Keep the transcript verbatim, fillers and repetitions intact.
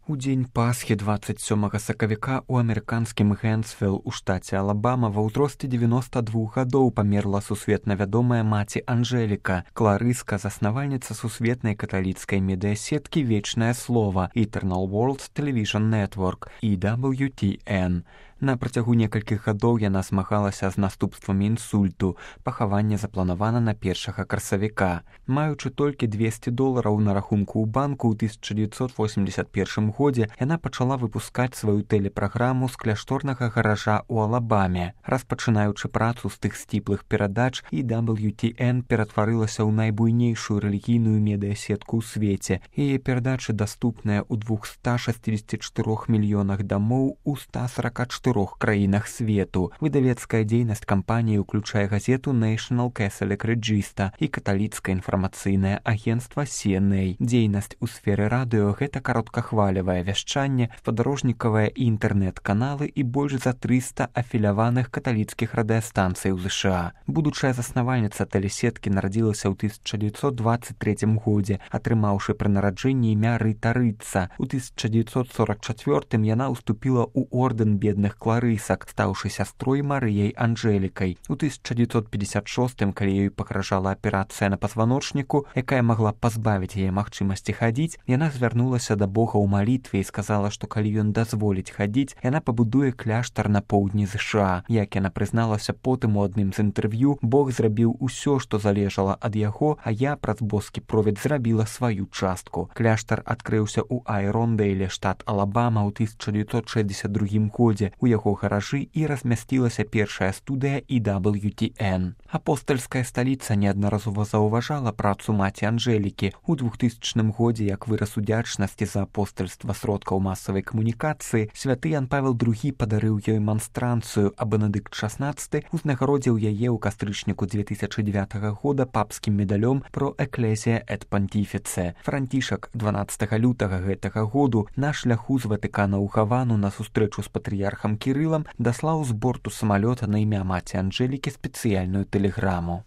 У дзень Пасхі дваццаць сёмага сакавіка ў амерыканскім Гэнсвілл у штаце Алабама ва ўзросце дзевяноста двух гадоў памерла сусветна вядомая маці Анжэліка, кларыска, заснавальніца сусветнай каталіцкай медыасеткі «Вечнае слова» Eternal World Television Network і дабл ю ти эн. На працягу некалькіх гадоў яна змагалася з наступствамі інсульту. Пахаванне запланавана на першага красавіка. Маючы толькі двесце долараў на рахунку ў банку, ў тысяча дзевяцьсот восемьдесят першым годзе яна пачала выпускаць сваю тэлепраграму з кляшторнага гаража ў Алабаме. Распачынаючы працу з тых сціплых перадач, і дабл ю ти эн ператварылася ў найбуйнейшую рэлігійную медыасетку ў свеце. Яе перадачы даступныя ў двухста шасцідзесяці чатырох мільёнах дамоў у ста сарака чатырох краінах свету. Выдавецкая дзейнасць кампаніі ўключае газету National Catholic Register і каталіцкае інфармацыйнае агенцтва си эн эй. Дзейнасць у сферы радыё — гэта кароткахвалевае вяшчанне, спадарожнікавыя і інтэрнэт-каналы і больш за трыста афіляваных каталіцкіх радыёстанцый у ЗША. Будучая заснавальніца тэлесеткі нарадзілася ў тысяча дзевяцьсот дваццаць трэцім годзе, атрымаўшы пры нараджэнні імя Рыта Рытца. У тысяча дзевяцьсот сорак чацвёртым яна ўступіла ў ордэн бедных кларысак, стаўшы сястрой Марыяй Анжэлікай. У тысяча дзевяцьсот пятьдесят шостым, калі ёй пагражала аперацыя на пазваночніку, якая магла пазбавіць яе магчымасці хадзіць, яна звярнулася да Бога ў малітве і сказала, што калі ён дазволіць хадзіць, яна пабудуе кляштар на поўдні ЗША. Як яна прызналася потым у адным з інтэрв'ю, Бог зрабіў усё, што залежала ад яго, а я праз боскі провід зрабіла сваю частку. Кляштар адкрыўся ў Айрондейле, штат Алабама, ў тысяча дзевяцьсот шэсцьдзесят другім годзе. У яго гаражы і размясцілася першая студыя і дабл ю ти эн. Апостальская сталіца неаднаразова заўважала працу маці Анжэлікі. У двухтысячным годзе, як выраз удзячнасці за апостальства сродкаў масавай камунікацыі, святы Ян Павел другі падарыў ёй манстранцыю, а Бенедыкт шаснаццаты узнагародзіў яе ў кастрычніку дзве тысячы дзевятага года папскім медалём про Ecclesia et Pontifice. Францішак дванаццатага лютага гэтага году на шляху з Ватыкана ў Гавану на сустрэчу з патрыярхам Кірылам даслаў з борту самалёта на імя маці Анжэлікі спецыяльную тэлеграму.